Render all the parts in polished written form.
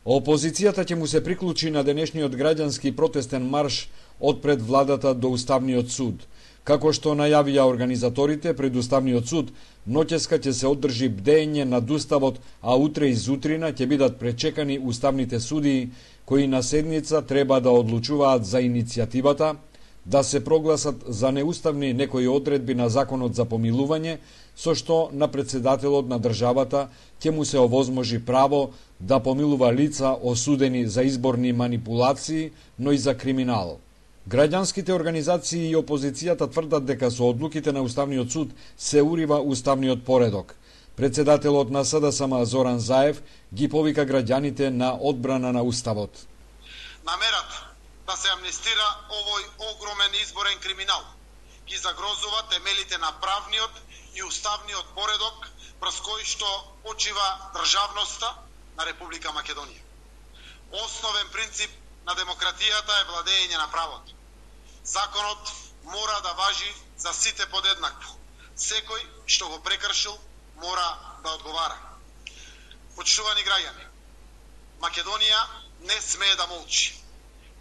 Опозицијата ќе му се приклучи на денешниот граѓански протестен марш од пред владата до Уставниот суд. Како што најавија организаторите пред Уставниот суд, ноќеска ќе се одржи бдење над Уставот, а утре изутрина ќе бидат пречекани уставните судии кои на седница треба да одлучуваат за иницијативата да се прогласат за неуставни некои одредби на Законот за помилување, со што на председателот на државата ќе му се овозможи право да помилува лица осудени за изборни манипулации, но и за криминал. Граѓанските организации и опозицијата тврдат дека со одлуките на Уставниот суд се урива уставниот поредок. Председателот на СДСМ Зоран Заев ги повика граѓаните на одбрана на Уставот. Намерата да се амнестира овој огромен изборен криминал ги загрозува темелите на правниот и уставниот поредок врз кој што почива државноста на Република Македонија. Основен принцип на демократијата е владење на правото. Законот мора да важи за сите подеднакво. Секој што го прекршил мора да одговара. Почитувани граѓани, Македонија не смее да молчи.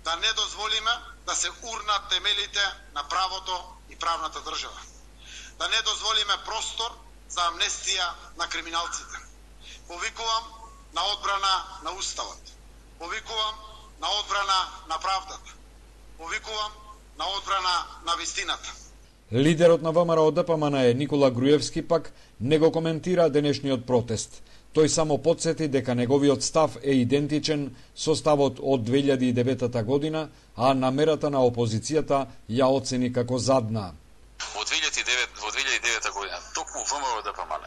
Да не дозволиме да се урнат темелите на правото и правната држава. Да не дозволиме простор за амнестија на криминалците. Повикувам на одбрана на Уставот. Повикувам на одбрана на правдата. Повикувам на одбрана на вистината. Лидерот на ВМРО ДПМН Никола Груевски пак не го коментира денешниот протест. Тој само потсети дека неговиот став е идентичен со ставот од 2009 година, а намерата на опозицијата ја оцени како задна. Во 2009 година токму ВМРО ДПМН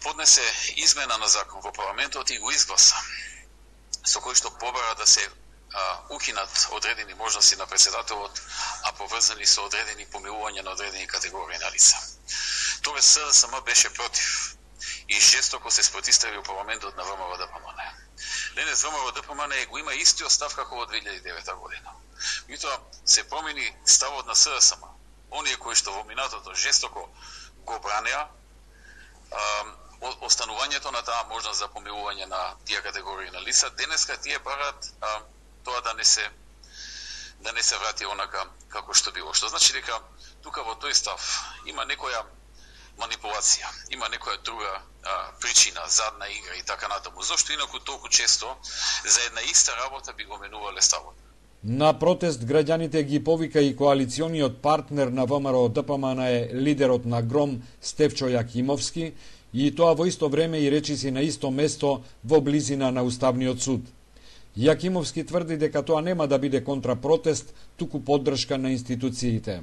поднесе измена на закон во парламентот и го изгласа, со кој што побара да се укинат одредени можности на председателот, а поврзани со одредени помилувања на одредени категории на лица. Тогаш СДСМ беше против и жестоко се спротивстави во парламентот на ВМРО ДПМН. Денес ВМРО ДПМН го има истиот став како во 2009 година. Меѓутоа се промени ставот на СДСМ. Оние кои што во минатото жестоко го бранеа останувањето на таа можност за помилување на тие категории на лица, денеска тие барат тоа да не се врати онака како што било. Што значи дека тука во тој став има некоја манипулација, има некоја друга причина, задна игра и така натаму. Зошто инаку толку често за една иста работа би го менувале ставот? На протест граѓаните ги повика и коалициониот партнер на ВМРО ДПМН е лидерот на ГРОМ Стефчо Јакимовски, и тоа во исто време и речиси на исто место во близина на Уставниот суд. Јакимовски тврди дека тоа нема да биде контрапротест, туку поддршка на институциите.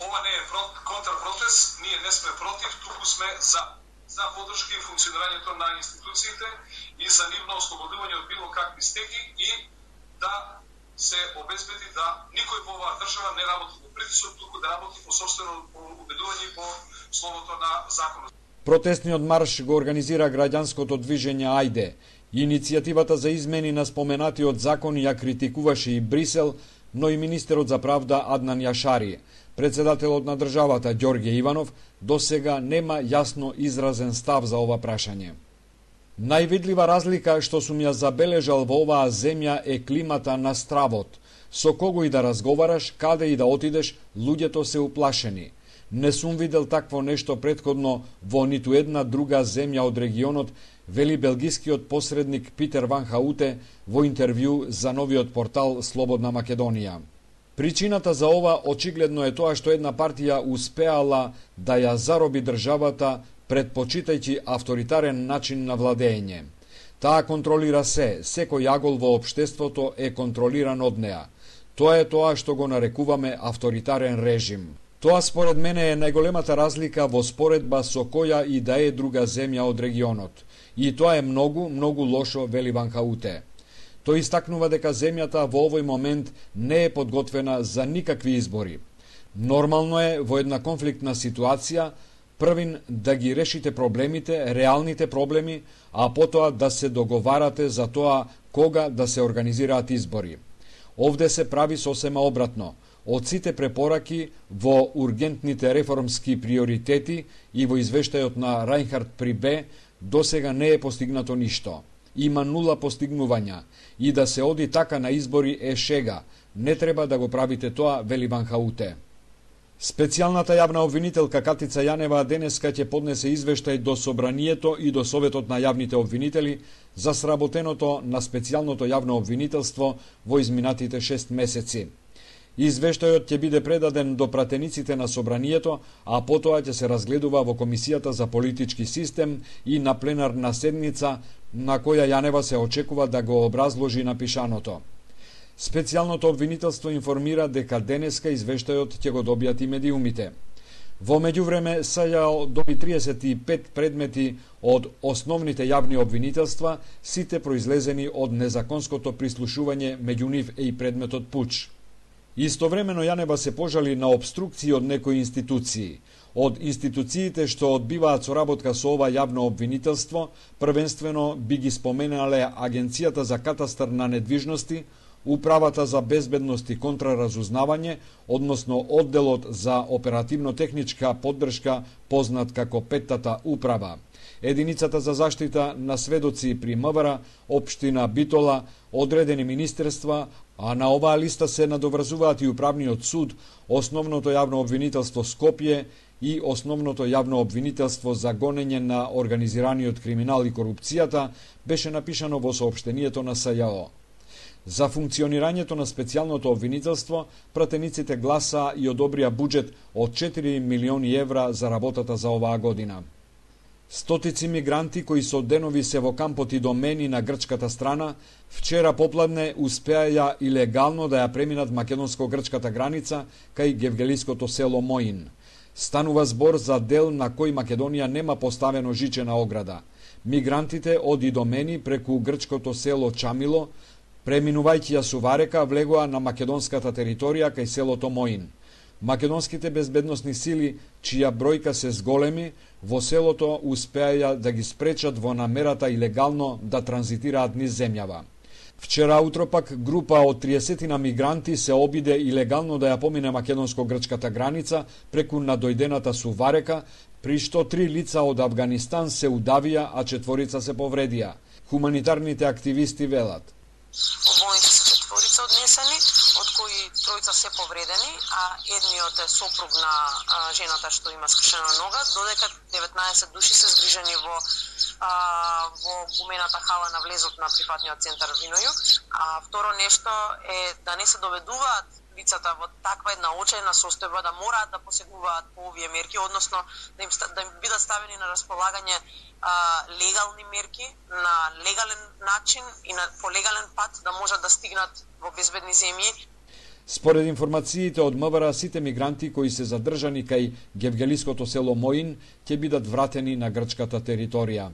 Ова не е контрапротест, ние не сме против, туку сме за поддршка и функционирањето на институциите и за нивно ослободување од било какви стеги и да се обезбеди да никој во оваа држава не работи по притисок, туку да работи по сопствено убедување и по словото на законот. Протестниот марш го организира граѓанското движење Ајде. Иницијативата за измени на споменатиот закон ја критикуваше и Брисел, но и министерот за правда Аднан Јашари. Председателот на државата Ѓорѓе Иванов досега нема јасно изразен став за ова прашање. Највидлива разлика што сум ја забележал во оваа земја е климата на стравот. Со кого и да разговараш, каде и да отидеш, луѓето се уплашени. Не сум видел такво нешто претходно во ниту една друга земја од регионот, вели белгискиот посредник Питер Ван Хауте во интервју за новиот портал Слободна Македонија. Причината за ова очигледно е тоа што една партија успеала да ја зароби државата предпочитајќи авторитарен начин на владење. Таа контролира се, секој агол во општеството е контролиран од неа. Тоа е тоа што го нарекуваме авторитарен режим. Тоа според мене е најголемата разлика во споредба со која и да е друга земја од регионот. И тоа е многу, многу лошо, вели Ван Хауте. Тој истакнува дека земјата во овој момент не е подготвена за никакви избори. Нормално е во една конфликтна ситуација првин да ги решите проблемите, реалните проблеми, а потоа да се договарате за тоа кога да се организираат избори. Овде се прави сосема обратно. Од сите препораки во ургентните реформски приоритети и во извештајот на Рајнхард Прибе досега не е постигнато ништо. има нула постигнувања и да се оди така на избори е шега. Не треба да го правите тоа, вели Банхауте. Специјалната јавна обвинителка Катица Јанева денеска ќе поднесе извештај до Собранието и до Советот на јавните обвинители за сработеното на специјалното јавно обвинителство во изминатите 6 месеци. Извештајот ќе биде предаден до пратениците на Собранието, а потоа ќе се разгледува во Комисијата за политички систем и на пленарна седница, на која Јанева се очекува да го образложи напишаното. Специјалното обвинителство информира дека денеска извештајот ќе го добијат и медиумите. Во меѓувреме, СЈО доби 35 предмети од основните јавни обвинителства, сите произлезени од незаконското прислушување, меѓу нив е и предметот пуч. Истовремено Јанева се пожали на обструкции од некои институции. Од институциите што одбиваат соработка со ова јавно обвинителство, првенствено би ги споменале Агенцијата за катастар на недвижности, Управата за безбедност и контраразузнавање, односно Одделот за оперативно-техничка поддршка, познат како Петтата управа, Единицата за заштита на сведоци при МВР, Општина Битола, одредени министерства, а на оваа листа се надоврзуваат и Управниот суд, Основното јавно обвинителство Скопје и Основното јавно обвинителство за гонење на организираниот криминал и корупцијата, беше напишано во соопштението на СЈО. За функционирањето на специјалното обвинителство, пратениците гласа и одобрија буџет од 4 милиони евра за работата за оваа година. Стотици мигранти кои со денови се во кампот Идомени на грчката страна, вчера попладне успеаја илегално да ја преминат македонско-грчката граница кај гевгелиското село Моин. Станува збор за дел на кој Македонија нема поставено жичена ограда. Мигрантите од Идомени преку грчкото село Чамило, преминувајќи ја Суварека, влегоа на македонската територија кај селото Моин. Македонските безбедносни сили, чија бројка се зголеми, во селото успеаја да ги спречат во намерата илегално да транзитираат низ земјава. Вчера утро пак група од 30 мигранти се обиде илегално да ја помине македонско-грчката граница преку надојдената Суварека, при што 3 лица од Авганистан се удавија, а 4 се повредија. Хуманитарните активисти велат: Обојните се 4 однесени, од кои 3 се повредени, а едниот е сопруг на жената што има скршена нога, додека 19 души се згрижени во гумената хала на влезот на прифатниот центар Винојук. А второ нешто е да не се доведуваат лицата во таква една очајна состојба да мораат да посегуваат по овие мерки, односно да им бидат ставени на располагање легални мерки на легален начин и по легален пат да можат да стигнат во безбедни земји. Според информациите од МВР, сите мигранти кои се задржани кај гевгелиското село Моин ќе бидат вратени на грчката територија.